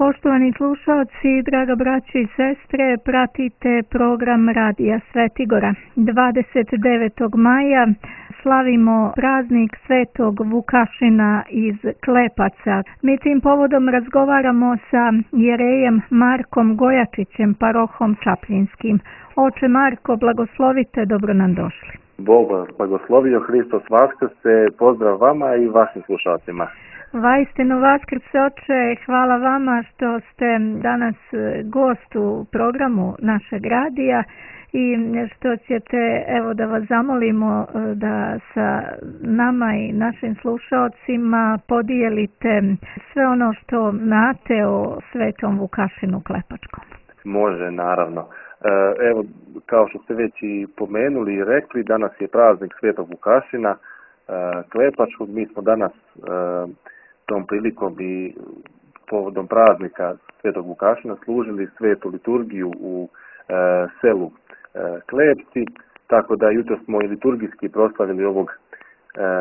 Poštovani slušalci, draga braćo i sestre, pratite program Radija Svetigora. 29. maja slavimo praznik Svetog Vukašina iz Klepaca. Mi tim povodom razgovaramo sa jerejem Markom Gojačićem, parohom Čapljinskim. Oče Marko, blagoslovite, dobro nam došli. Bog vas blagoslovio, Hristos vaskrse, pozdrav vama i vašim slušalcima. Vaistinu vaskrse, oče, hvala vama što ste danas gost u programu našeg radija i što ćete, evo da vas zamolimo da sa nama i našim slušalcima podijelite sve ono što znate o Svetom Vukašinu Klepačkom. Može, naravno. Evo, kao što ste već i pomenuli i rekli, danas je praznik Svetog Vukašina Klepačkog. Mi smo danas tom prilikom i povodom praznika Svetog Vukašina služili svetu liturgiju u selu Klepci, tako da jutro smo i liturgijski proslavili ovog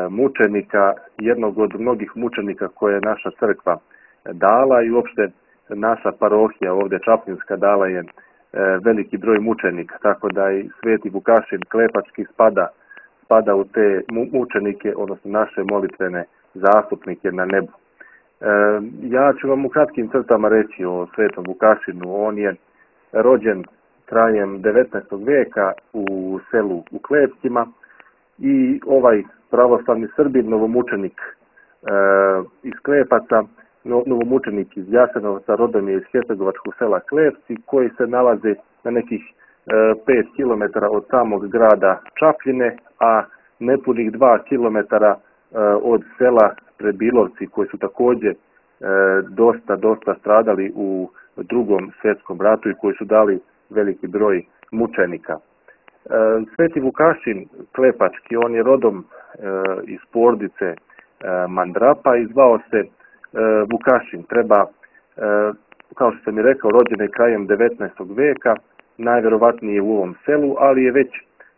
mučenika, jednog od mnogih mučenika koje je naša crkva dala i uopšte naša parohija ovdje Čapljinska dala je veliki broj mučenika, tako da i Sveti Vukašin Klepački spada u te mučenike, odnosno naše molitvene zastupnike na nebu. Ja ću vam u kratkim crtama reći o Svetom Vukašinu. On je rođen krajem 19. vijeka u selu u Klepcima i ovaj pravoslavni Srbin, novomučenik iz Klepaca, novomučenik iz Jasenovca, rodom je iz hercegovačkog sela Klepci, koji se nalazi na nekih 5 km od samog grada Čapljine, a nepunih 2 km od sela Prebilovci, koji su također dosta stradali u Drugom svjetskom ratu i koji su dali veliki broj mučenika. Sveti Vukašin Klepački, on je rodom iz porodice Mandrapa i zvao se Vukašin. Treba, kao što sam i rekao, rođen je krajem 19. vijeka, najvjerovatnije u ovom selu, ali je već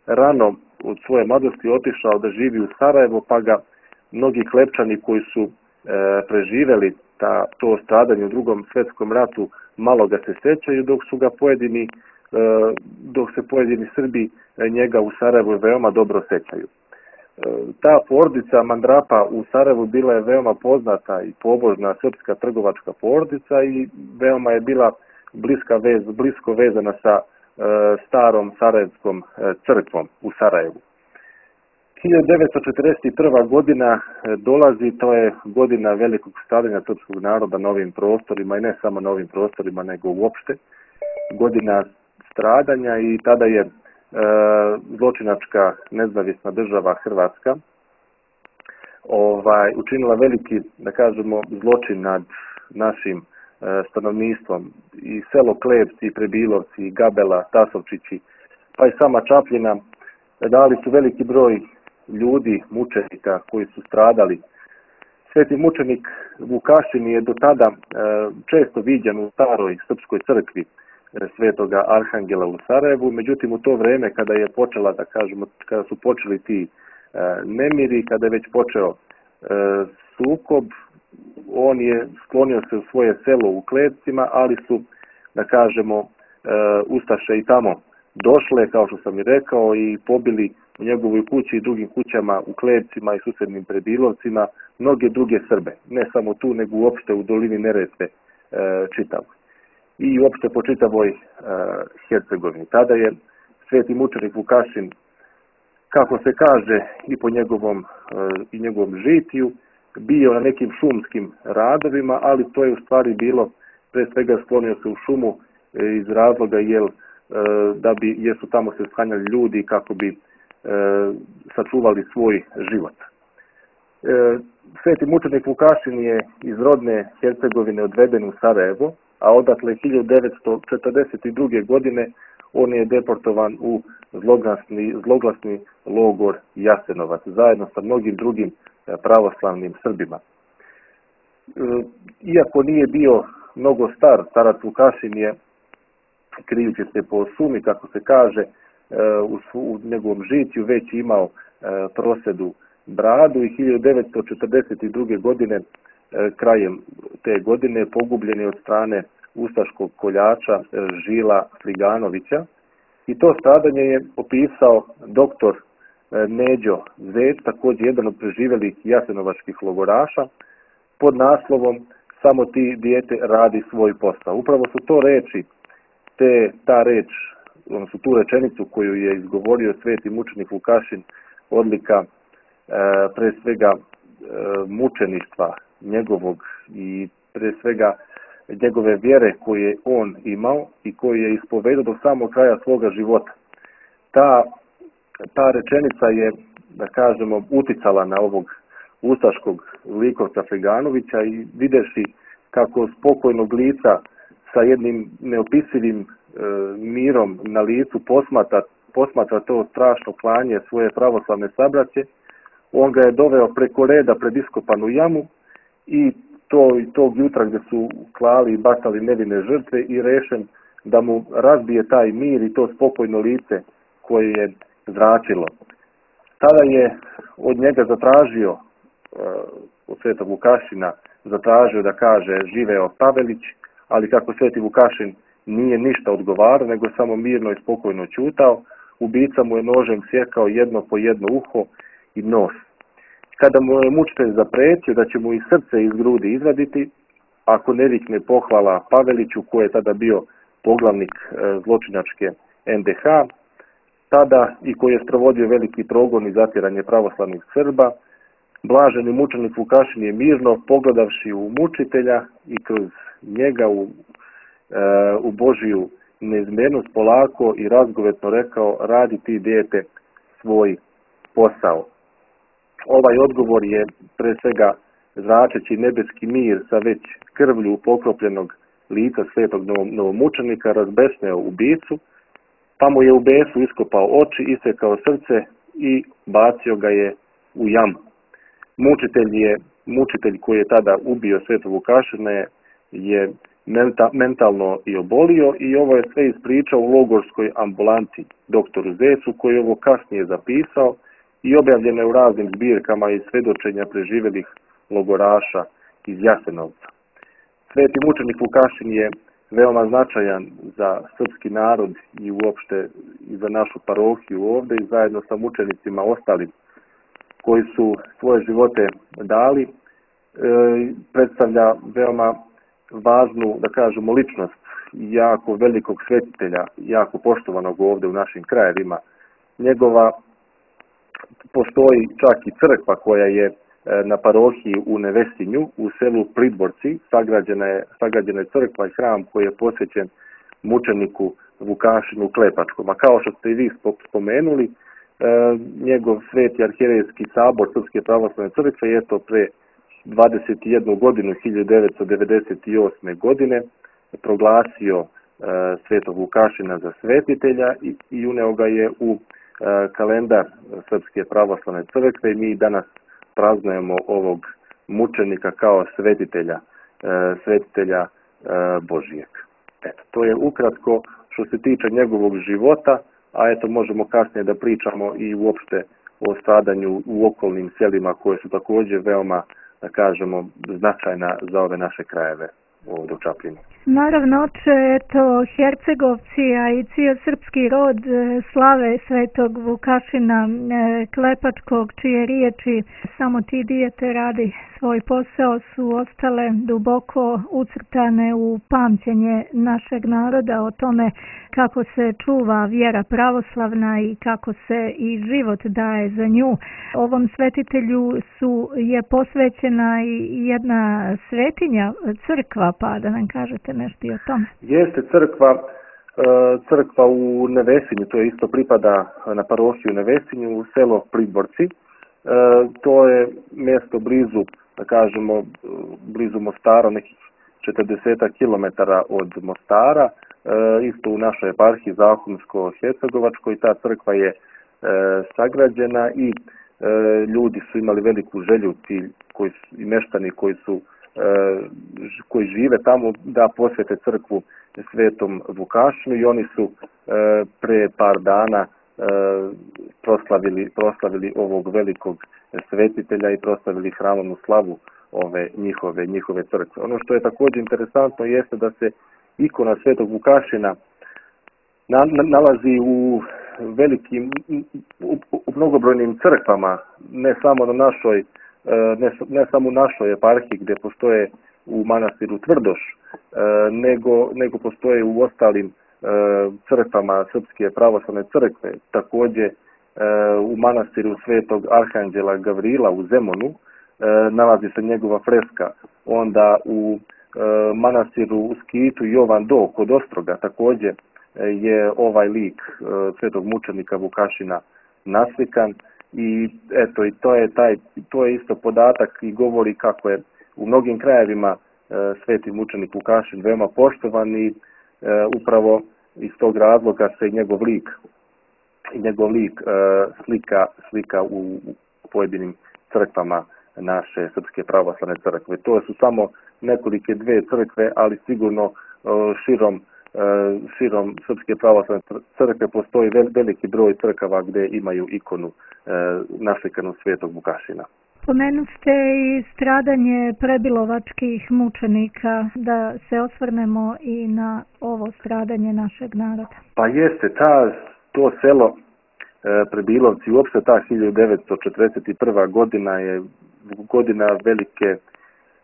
rano od svoje mladosti otišao da živi u Sarajevo, pa ga mnogi Klepčani koji su preživjeli to stradanje u Drugom svjetskom ratu malo ga se sjećaju, dok se pojedini Srbi njega u Sarajevu veoma dobro sjećaju. Ta porodica Mandrapa u Sarajevu bila je veoma poznata i pobožna srpska trgovačka porodica i veoma je bila blisko vezana sa starom Sarajevskom crkvom u Sarajevu. 1941. godina dolazi, to je godina velikog stradanja srpskog naroda na ovim prostorima i ne samo na ovim prostorima, nego uopšte. Godina stradanja i tada je zločinačka nezavisna država Hrvatska učinila veliki, da kažemo, zločin nad našim stanovništvom. I selo Klepci, i Prebilovci, i Gabela, Tasovčići, pa i sama Čapljina dali su veliki broj ljudi, mučenika koji su stradali. Sveti mučenik Vukašin je do tada često viđen u staroj srpskoj crkvi Svetoga Arhangela u Sarajevu, međutim u to vrijeme kada je počela, da kažemo, kada su počeli ti nemiri, kada je već počeo sukob, on je sklonio se u svoje selo u Klepcima, ali su, da kažemo, ustaše i tamo došle, kao što sam i rekao, i pobili u njegovoj kući i drugim kućama u Klepcima i susjednim Prebilovcima mnoge druge Srbe. Ne samo tu, nego uopšte u dolini Neretve čitavoj. I uopšte po čitavoj Hercegovini. Tada je sveti mučenik Vukašin, kako se kaže i po njegovom žitiju, bio na nekim šumskim radovima, ali to je u stvari bilo, pre svega sklonio se u šumu iz razloga jer su tamo se sklanjali ljudi kako bi sačuvali svoj život. Sveti mučenik Vukašin je iz rodne Hercegovine odveden u Sarajevo, a odatle 1942. godine on je deportovan u zloglasni logor Jasenovac, zajedno sa mnogim drugim pravoslavnim Srbima. Iako nije bio mnogo star, starac Vukašin je, krijući se po šumi, kako se kaže, u njegovom žitiju već imao prosedu bradu i 1942. godine krajem te godine pogubljen je od strane ustaškog koljača Žila Sliganovića i to stradanje je opisao doktor Neđo Zec, također jedan od preživjelih jasenovačkih logoraša, pod naslovom "Samo ti dijete radi svoj posao". Upravo su to reči, ta reč, odnosno tu rečenicu koju je izgovorio sveti mučenik Vukašin, odlika pre svega mučeništva njegovog i pre svega njegove vjere koje je on imao i koju je ispovedao do samog kraja svoga života. Ta rečenica je, da kažemo, uticala na ovog ustaškog likovca Fleganovića i videši kako spokojnog lica sa jednim neopisivim mirom na licu posmatra to strašno klanje svoje pravoslavne sabraće, on ga je doveo preko reda pred iskopanu jamu i tog jutra gdje su klali i bacali nevine žrtve i rešen da mu razbije taj mir i to spokojno lice koje je zračilo. Tada je od njega zatražio, od svetog Vukašina, zatražio da kaže živeo Pavelić, ali kako sveti Vukašin nije ništa odgovarao, nego samo mirno i spokojno ćutao, ubica mu je nožem sjekao jedno po jedno uho i nos. Kada mu je mučitelj zapretio da će mu i srce iz grudi izvaditi, ako ne vikne pohvala Paveliću, koji je tada bio poglavnik zločinačke NDH, tada i koji je sprovodio veliki progon i zatjeranje pravoslavnih Srba, blaženi mučenik Vukašin je mirno, pogledavši u mučitelja i kroz njega u Božiju neizmjernost, polako i razgovetno rekao: radi ti dijete svoj posao. Ovaj odgovor je pre svega zračeći nebeski mir sa već krvlju pokropljenog lica svetog novomučenika razbesneo ubicu, pa mu je u besu iskopao oči, isekao srce i bacio ga je u jamu. Mučitelj koji je tada ubio svetog Vukašina je mentalno i obolio i ovo je sve ispričao u logorskoj ambulanti doktoru Zecu, koji je ovo kasnije zapisao i objavljeno je u raznim zbirkama i svedočenja preživjelih logoraša iz Jasenovca. Sveti mučenik Vukašin je veoma značajan za srpski narod i uopšte i za našu parohiju ovdje i zajedno sa mučenicima ostalim koji su svoje živote dali, predstavlja veoma važnu, da kažemo, ličnost jako velikog svetitelja, jako poštovanog ovdje u našim krajevima. Njegova postoji čak i crkva koja je na parohiji u Nevesinju, u selu Pridvorci, sagrađena je crkva i hram koji je posvećen mučeniku Vukašinu Klepačkom. A kao što ste i vi spomenuli, njegov sveti arhijerejski sabor Srpske pravoslavne crkve je to pre 21 godinu, 1998. godine, proglasio svetog Vukašina za svetitelja i uneo ga je u kalendar Srpske pravoslavne crkve i mi danas praznujemo ovog mučenika kao svetitelja Božijeg. Eto, to je ukratko što se tiče njegovog života, a eto možemo kasnije da pričamo i uopšte o stradanju u okolnim selima koje su također veoma, da kažemo, značajna za ove naše krajeve ovdje u Čapljini. Naravno, oče, eto, Hercegovci, a i cijel srpski rod slave svetog Vukašina Klepačkog, čije riječi "samo ti dijete radi svoj posao" su ostale duboko ucrtane u pamćenje našeg naroda o tome kako se čuva vjera pravoslavna i kako se i život daje za nju. Ovom svetitelju je posvećena i jedna svetinja, crkva, pa da nam kažete nešto i o tome. Jeste crkva u Nevesinju, to je isto pripada na parohiju Nevesinju, u selo Pridvorci. To je mjesto blizu, da kažemo, blizu Mostara, nekih 40 km od Mostara, isto u našoj eparhiji Zahumsko-Hercegovačkoj. Ta crkva je sagrađena i ljudi su imali veliku želju, i meštani koji žive tamo, da posvete crkvu svetom Vukašinu i oni su pre par dana proslavili ovog velikog svetitelja i proslavili hramovnu slavu ove njihove crkve. Ono što je također interesantno jeste da se ikona Svetog Vukašina nalazi u velikim, u mnogobrojnim crkvama, ne samo u našoj eparhiji gdje postoje u manastiru Tvrdoš, nego postoje u ostalim crkvama Srpske pravoslavne crkve. Također u manastiru Svetog Arhanđela Gavrila u Zemunu nalazi se njegova freska. Onda u manastiru u Skitu Jovan Do kod Ostroga također je ovaj lik svetog mučenika Vukašina naslikan i eto, i to je isto podatak i govori kako je u mnogim krajevima sveti mučenik Vukašin veoma poštovan i upravo iz tog razloga se njegov lik slika u pojedinim crkvama naše Srpske pravoslavne crkve. To su samo nekolike dve crkve, ali sigurno širom Srpske pravoslavne crkve postoji veliki broj crkava gdje imaju ikonu naslikanu svetog Vukašina. Pomenuste i stradanje prebilovačkih mučenika, da se osvrnemo i na ovo stradanje našeg naroda. Pa jeste, to selo Prebilovci, uopšte ta 1941. godina je godina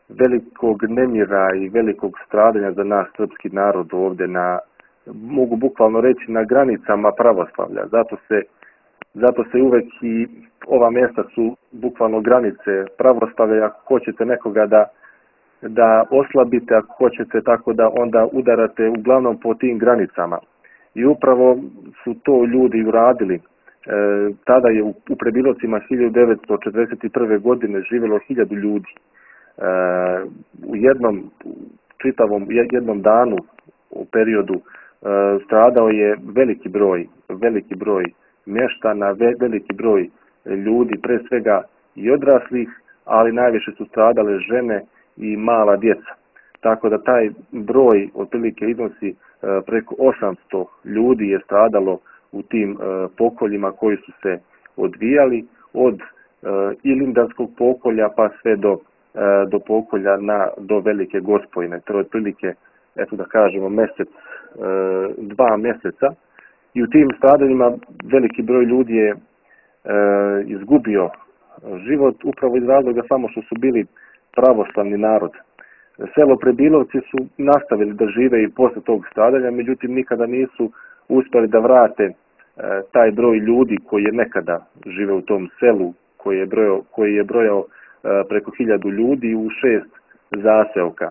velikog nemira i velikog stradanja za naš srpski narod ovdje mogu bukvalno reći, na granicama pravoslavlja. Zato se uvek i ova mjesta su bukvalno granice pravoslavlja. Ako hoćete nekoga da oslabite, ako hoćete tako da onda udarate uglavnom po tim granicama. I upravo su to ljudi uradili. Tada je u Prebilovcima 1941. godine živjelo 1000 ljudi. U jednom danu u periodu stradao je veliki broj mještana, veliki broj ljudi, pre svega i odraslih, ali najviše su stradale žene i mala djeca. Tako da taj broj otprilike iznosi preko 800 ljudi je stradalo u tim pokoljima koji su se odvijali od Ilindanskog pokolja pa sve do pokolja do Velike Gospojine. To je otprilike, eto da kažemo, 2 mjeseca. I u tim stradanjima veliki broj ljudi je izgubio život upravo iz razloga samo što su bili pravoslavni narod. Selo Prebilovci su nastavili da žive i posle tog stradanja, međutim nikada nisu uspjeli da vrate taj broj ljudi koji je nekada žive u tom selu, koji je brojao preko 1000 ljudi u 6 zaseoka.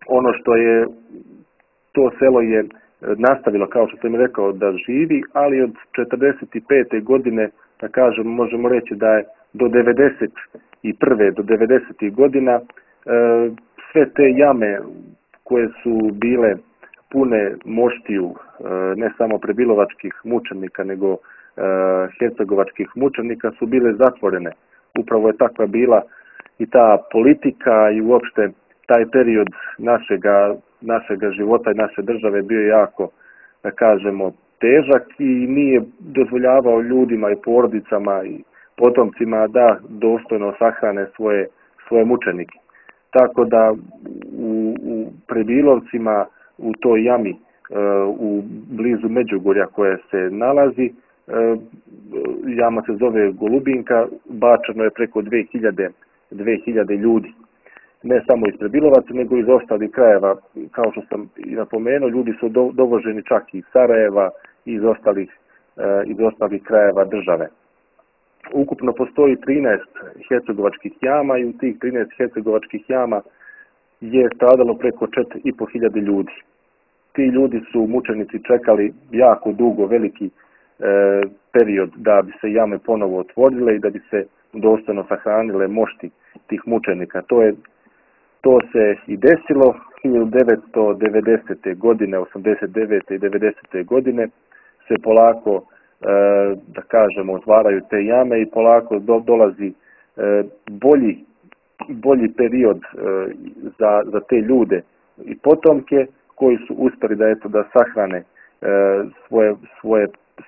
Ono što je to selo je nastavilo, kao što sam rekao, da živi, ali od 45. godine, da kažem, možemo reći da je do 91. do 90. godina sve te jame koje su bile pune moštiju, ne samo prebilovačkih mučenika, nego hercegovačkih mučenika, su bile zatvorene. Upravo je takva bila i ta politika i uopšte taj period našega života i naše države bio jako, da kažemo, težak i nije dozvoljavao ljudima i porodicama i potomcima da dostojno sahrane svoje mučenike. Tako da u Prebilovcima, u toj jami u blizu Međugorja koja se nalazi, jama se zove Golubinka, bačeno je preko 2000 ljudi. Ne samo iz Prebilovaca, nego iz ostalih krajeva. Kao što sam i napomenuo, ljudi su dovoženi čak i iz Sarajeva i iz ostalih krajeva države. Ukupno postoji 13 hercegovačkih jama i u tih 13 hercegovačkih jama je stradalo preko 4500 ljudi. Ti ljudi su mučenici čekali jako dugo, veliki period da bi se jame ponovo otvorile i da bi se dostojno sahranile mošti tih mučenika. To se i desilo 1990. godine, 89. i 90. godine se polako, da kažemo, otvaraju te jame i polako dolazi bolji period za te ljude i potomke koji su uspjeli da sahrane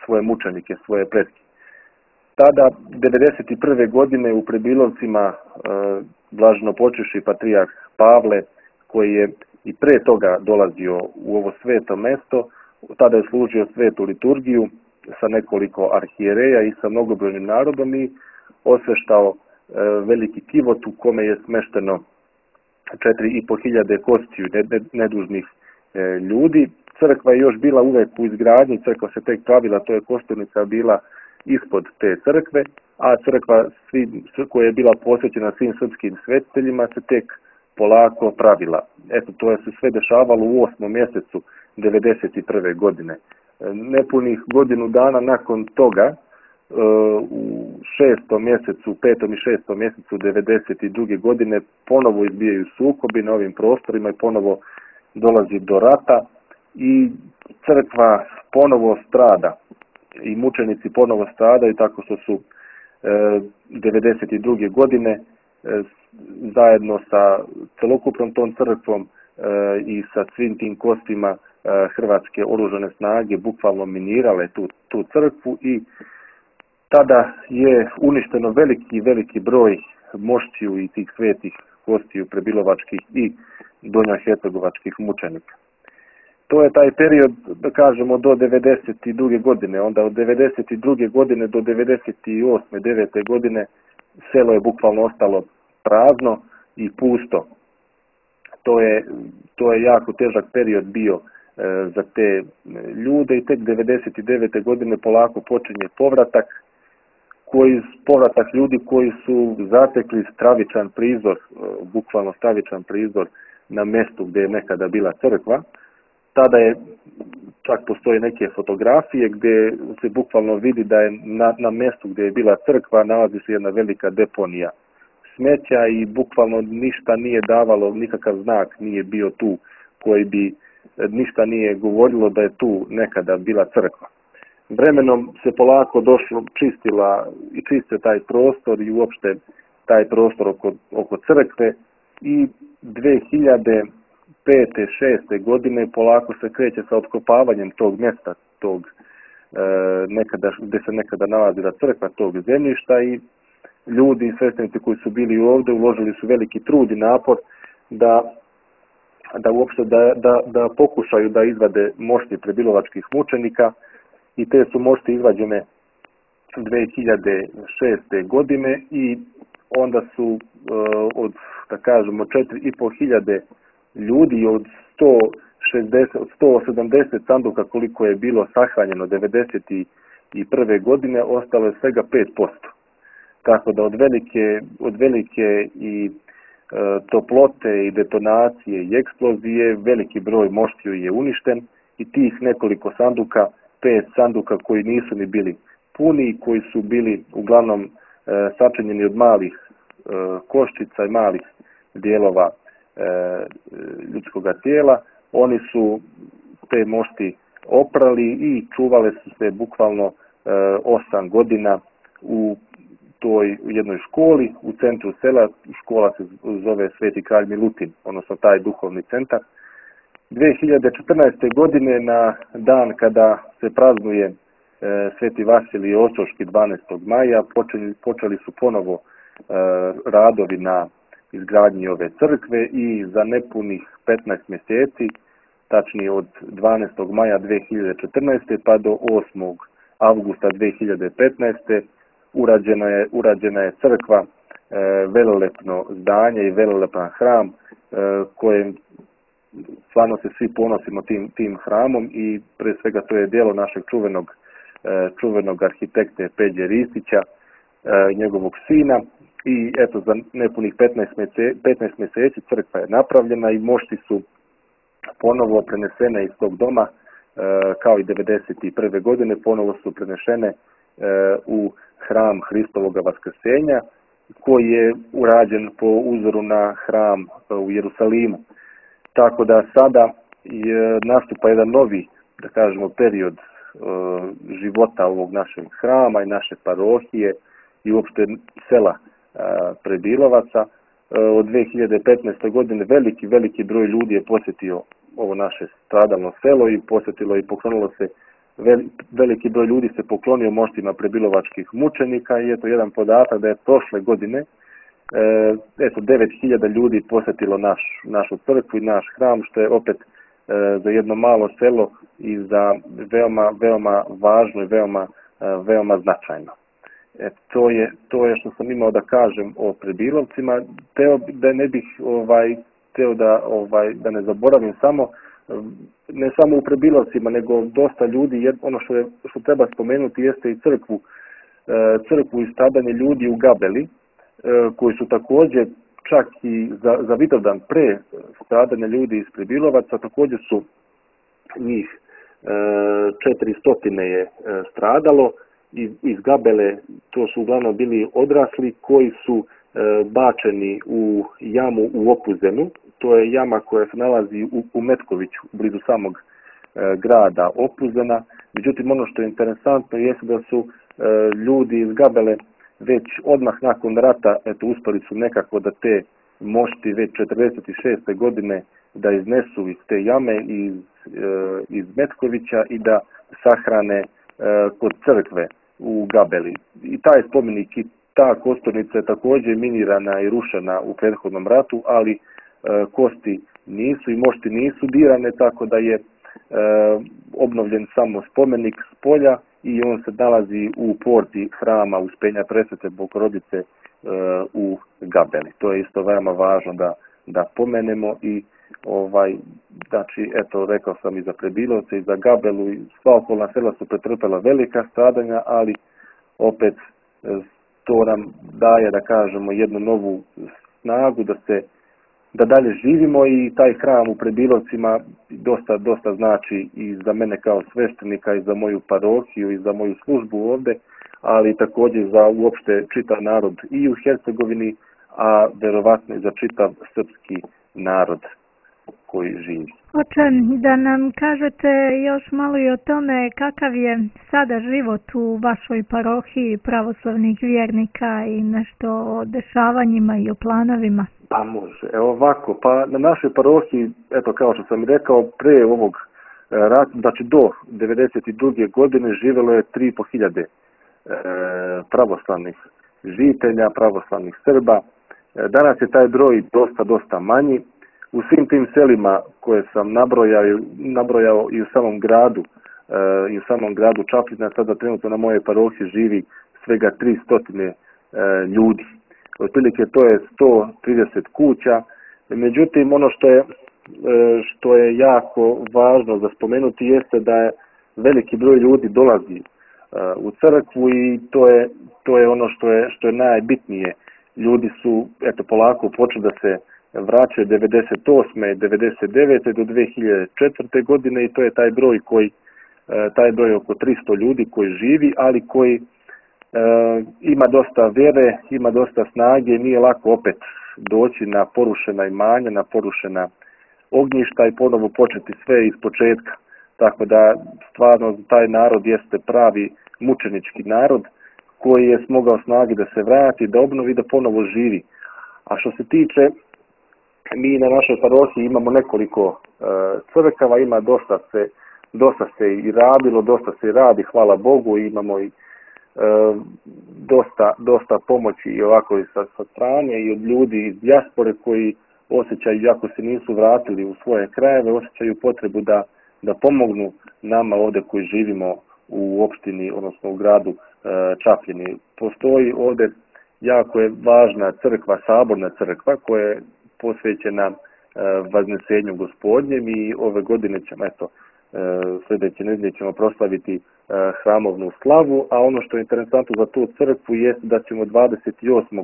svoje mučenike, svoje pretke. Tada, 1991. godine u Prebilovcima blaženopočivši patrijarh Pavle, koji je i pre toga dolazio u ovo sveto mesto, tada je služio svetu liturgiju sa nekoliko arhijereja i sa mnogobrojnim narodom i osveštao veliki kivot u kome je smešteno 4.500 kostiju nedužnih ljudi. Crkva je još bila uvek u izgradnji, crkva se tek pravila, to je kosturnica bila ispod te crkve, a crkva koja je bila posvećena svim srpskim svetiteljima se tek polako pravila. Eto, to je se sve dešavalo u 8. mjesecu 1991. godine. Nepunih godinu dana nakon toga, u 6. mjesecu, 5. i 6. mjesecu 1992. godine ponovo izbijaju sukobi na ovim prostorima i ponovo dolazi do rata i crkva ponovo strada i mučenici ponovo stradaju tako što su 1992. godine zajedno sa celokupnom tom crkvom i sa svim tim kostima hrvatske oružane snage bukvalno minirale tu crkvu i tada je uništeno veliki broj moštiju i tih svetih kostiju prebilovačkih i donjahercegovačkih mučenika. To je taj period, da kažemo, do 1992. godine. Onda od 1992. godine do 1998. 9. godine selo je bukvalno ostalo prazno i pusto. To je jako težak period bio za te ljude i tek 1999. godine polako počinje povratak ljudi koji su zatekli stravičan prizor, bukvalno stravičan prizor na mjestu gdje je nekada bila crkva. Tada je, čak postoje neke fotografije gdje se bukvalno vidi da je na mjestu gdje je bila crkva nalazi se jedna velika deponija smeća i bukvalno ništa nije davalo, nikakav znak nije bio tu koji bi ništa nije govorilo da je tu nekada bila crkva. Vremenom se polako čistio taj prostor i uopšte taj prostor oko crkve i 2005. 6. godine polako se kreće sa otkopavanjem tog mjesta, gdje se nekada nalazila crkva, tog zemljišta i ljudi i sveštenici koji su bili ovdje uložili su veliki trud i napor da pokušaju da izvade mošti prebilovačkih mučenika i te su mošti izvađene 2006. godine i onda su od, da kažemo, 4.500 ljudi od 170 sanduka koliko je bilo sahranjeno 1991. godine ostalo je svega 5%. Tako da od velike i toplote i detonacije i eksplozije veliki broj moštiju je uništen i tih nekoliko sanduka, 5 sanduka koji nisu ni bili puni, koji su bili uglavnom sačinjeni od malih koščica i malih dijelova ljudskog tijela, oni su te mošti oprali i čuvale su se bukvalno 8 godina u toj jednoj školi u centru sela. Škola se zove Sveti kralj Milutin, odnosno taj duhovni centar. 2014. godine na dan kada se praznuje Sveti Vasilij Ostroški 12. maja počeli su ponovo radovi na izgradnji ove crkve i za nepunih 15 mjeseci, tačnije od 12. maja 2014. pa do 8. avgusta 2015. urađena je crkva, velelepno zdanje i velelepan hram kojem stvarno se svi ponosimo tim hramom i pre svega to je djelo našeg čuvenog arhitekte Peđe Ristića, njegovog sina. I eto, za nepunih 15 mjeseci crkva je napravljena i mošti su ponovo prenesene iz tog doma, kao i 1991. godine, ponovo su prenešene u hram Hristovoga Vaskrsenja, koji je urađen po uzoru na hram u Jerusalimu. Tako da sada nastupa jedan novi, da kažemo, period života ovog našeg hrama i naše parohije i uopšte sela Prebilovaca. Od 2015. godine veliki broj ljudi je posjetio ovo naše stradalno selo i posjetilo i poklonilo se veliki broj ljudi se poklonio moštima prebilovačkih mučenika i eto jedan podatak da je prošle godine 9.000 ljudi posjetilo našu crkvu i naš hram, što je opet za jedno malo selo i za veoma važno i veoma značajno. To je što sam imao da kažem o Prebilovcima. Da ne bih da ne zaboravim ne samo u Prebilovcima, nego dosta ljudi, ono što treba spomenuti jeste i crkvu i stradanje ljudi u Gabeli, koji su također čak i za Vidovdan pre stradanja ljudi iz Prebilovaca, također su njih 400 je stradalo. Iz Gabele to su uglavnom bili odrasli koji su bačeni u jamu u Opuzenu. To je jama koja se nalazi u Metkoviću, blizu samog grada Opuzena. Međutim, ono što je interesantno jeste da su ljudi iz Gabele već odmah nakon rata uspeli su nekako da te mošti već 46. godine da iznesu iz te jame iz Metkovića i da sahrane kod crkve u Gabeli. I taj spomenik i ta kosturnica je također minirana i rušena u prethodnom ratu, ali kosti nisu i mošti nisu dirane, tako da je obnovljen samo spomenik s polja i on se nalazi u porti hrama Uspenja Presvete Bogorodice u Gabeli. To je isto veoma važno da pomenemo i znači, eto, rekao sam i za Prebilovce i za Gabelu i sva okolna sela su pretrpela velika stradanja, ali opet to nam daje, da kažemo, jednu novu snagu da dalje živimo i taj hram u Prebilovcima dosta znači i za mene kao sveštenika i za moju parohiju i za moju službu ovde, ali također za uopšte čitav narod i u Hercegovini, a verovatno i za čitav srpski narod koji živi. Oče, da nam kažete još malo i o tome kakav je sada život u vašoj parohiji pravoslavnih vjernika i nešto o dešavanjima i o planovima. Pa može. Evo ovako, pa na našoj parohiji, eto kao što sam rekao, pre ovog rata, znači do 1992. godine živjelo je 3.500 pravoslavnih žitelja, pravoslavnih Srba. Danas je taj broj dosta manji. U svim tim selima koje sam nabrojao i u samom gradu Čapljina, sada trenutno na moje parohiji živi svega 300 ljudi. Otprilike to je 130 kuća. Međutim, ono što je jako važno za spomenuti jeste da je veliki broj ljudi dolazi u crkvu i to je ono što je najbitnije. Ljudi su polako počeli da se vraćaju 98. 99. do 2004. godine i to je taj broj oko 300 ljudi koji živi, ali koji ima dosta vjere, ima dosta snage, nije lako opet doći na porušena imanja, na porušena ognjišta i ponovo početi sve iz početka. Tako da stvarno taj narod jeste pravi mučenički narod koji je smogao snagi da se vrati, da obnovi, da ponovo živi. A što se tiče, mi na našoj parohiji imamo nekoliko crkava, ima dosta se i radilo, dosta se i radi, hvala Bogu, imamo i dosta pomoći i ovako i sa strane i od ljudi iz dijaspore koji osjećaju, iako se nisu vratili u svoje krajeve, osjećaju potrebu da pomognu nama ovdje koji živimo u opštini, odnosno u gradu Čapljini. Postoji ovdje jako je važna crkva, saborna crkva koja je posvećena Vaznesenju Gospodnjem i ove godine ćemo, sljedeće nedelje ćemo proslaviti hramovnu slavu, a ono što je interesantno za tu crkvu je da ćemo 28.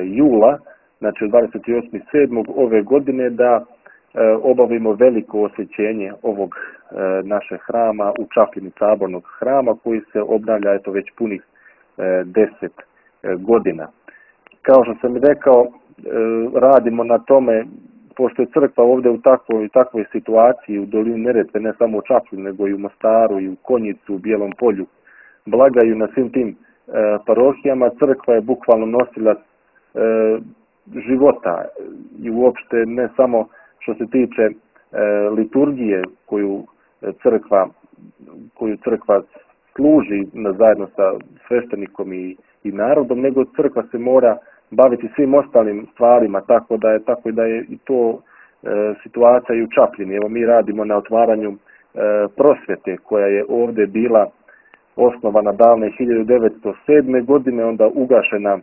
jula, znači 28.7. ove godine da obavimo veliko osvećenje ovog našeg hrama u Čapljini, sabornog hrama koji se obnavlja već punih 10 godina. Kao što sam rekao, radimo na tome, pošto je crkva ovdje u takvoj situaciji u dolini Neretve, ne samo u Čapljini, nego i u Mostaru, i u Konjicu, u Bijelom Polju, blagaju na svim tim parohijama. Crkva je bukvalno nosilac života i uopšte ne samo što se tiče liturgije koju crkva koju crkva služi zajedno sa sveštenikom i narodom, nego crkva se mora baviti svim ostalim stvarima, tako da je i to situacija i u Čapljini. Evo, mi radimo na otvaranju prosvjete koja je ovdje bila osnovana davne 1907. godine, onda ugašena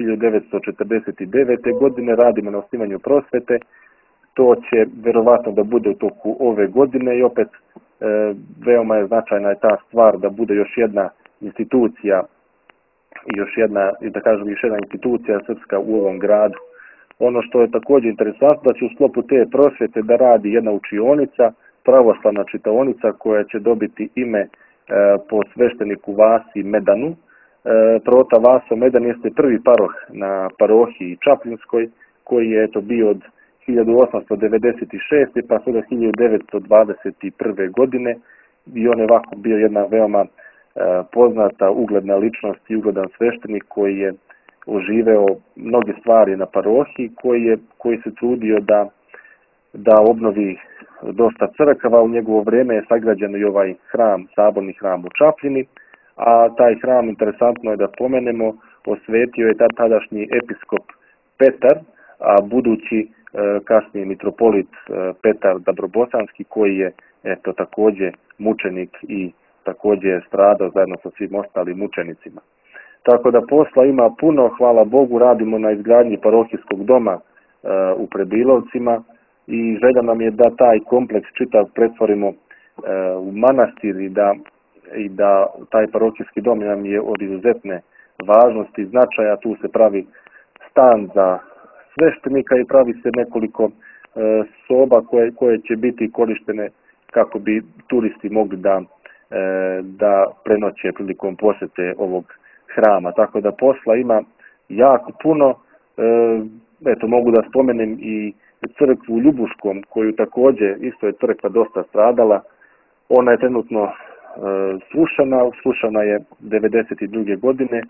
1949. godine, radimo na osnivanju prosvjete. To će vjerovatno da bude u toku ove godine i opet veoma je značajna je ta stvar da bude još jedna institucija i još jedna institucija srpska u ovom gradu. Ono što je također interesantno, da će u sklopu te prosvjete da radi jedna učionica, pravoslavna čitaonica koja će dobiti ime po svešteniku Vasi Medanu. Prota Vaso Medan jeste prvi paroh na parohiji Čapljinskoj, koji je bio od 1896. pa sve do 1921. godine i on je ovako bio jedna veoma poznata, ugledna ličnost i ugledan sveštenik koji je oživeo mnoge stvari na parohiji, koji se trudio da obnovi dosta crkava. U njegovo vrijeme je sagrađen i ovaj hram, saborni hram u Čapljini, a taj hram, interesantno je da pomenemo, osvetio je tadašnji episkop Petar, a budući kasnije mitropolit Petar Dabrobosanski, koji je također mučenik i također je stradao zajedno sa svim ostalim mučenicima. Tako da posla ima puno, hvala Bogu, radimo na izgradnji parohijskog doma u Prebilovcima i želja nam je da taj kompleks čitav pretvorimo u manastir i da taj parohijski dom nam je od izuzetne važnosti i značaja. Tu se pravi stan za sveštenika i pravi se nekoliko soba koje će biti korištene kako bi turisti mogli da prenoće prilikom posjete ovog hrama. Tako da posla ima jako puno. Mogu da spomenem i crkvu u Ljubuškom, koju također isto je crkva dosta stradala. Ona je trenutno srušena je 1992. godine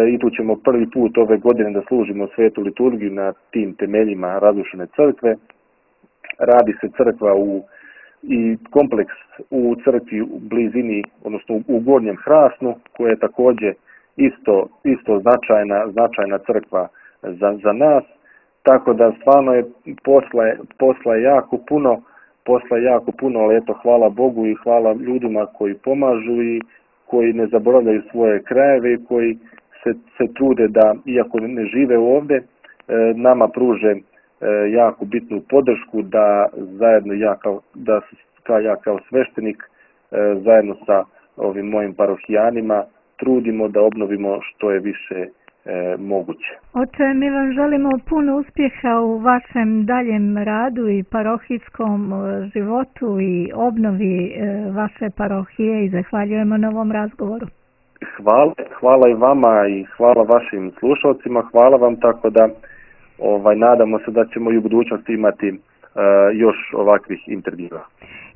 i tu ćemo prvi put ove godine da služimo svetu liturgiju na tim temeljima razrušene crkve. Radi se crkva i kompleks u crkvi u blizini, odnosno u Gornjem Hrasnu, koja je također isto značajna crkva za nas. Tako da stvarno je posla je jako puno, ali eto, hvala Bogu i hvala ljudima koji pomažu i koji ne zaboravljaju svoje krajeve i koji se trude da, iako ne žive ovdje, nama pruže jako bitnu podršku da zajedno ja kao sveštenik zajedno sa ovim mojim parohijanima trudimo da obnovimo što je više moguće. Oče, mi vam želimo puno uspjeha u vašem daljem radu i parohijskom životu i obnovi vaše parohije i zahvaljujemo na ovom razgovoru. Hvala i vama i hvala vašim slušalcima, hvala vam, tako da nadamo se da ćemo i u budućnosti imati još ovakvih intervjua.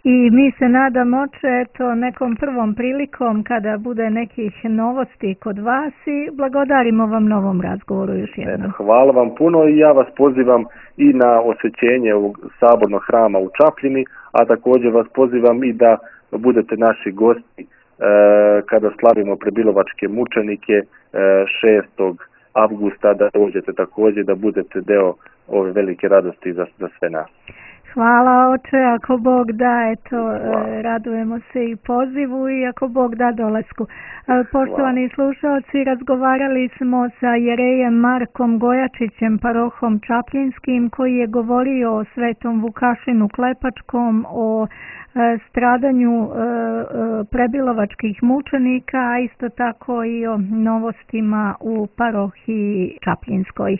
I mi se nadamo, oče, nekom prvom prilikom kada bude nekih novosti kod vas i blagodarimo vam na ovom razgovoru još jednom. Hvala vam puno i ja vas pozivam i na osvećenje ovog sabornog hrama u Čapljini, a također vas pozivam i da budete naši gosti kada slavimo prebilovačke mučenike 6. avgusta, da dođete također, da budete deo ove velike radosti za sve nas. Hvala, oče, ako Bog da, radujemo se i pozivu i ako Bog da dolasku. Poštovani slušalci, razgovarali smo sa jerejem Markom Gojačićem, parohom Čapljinskim, koji je govorio o Svetom Vukašinu Klepačkom, o stradanju prebilovačkih mučenika, a isto tako i o novostima u parohiji Čapljinskoj.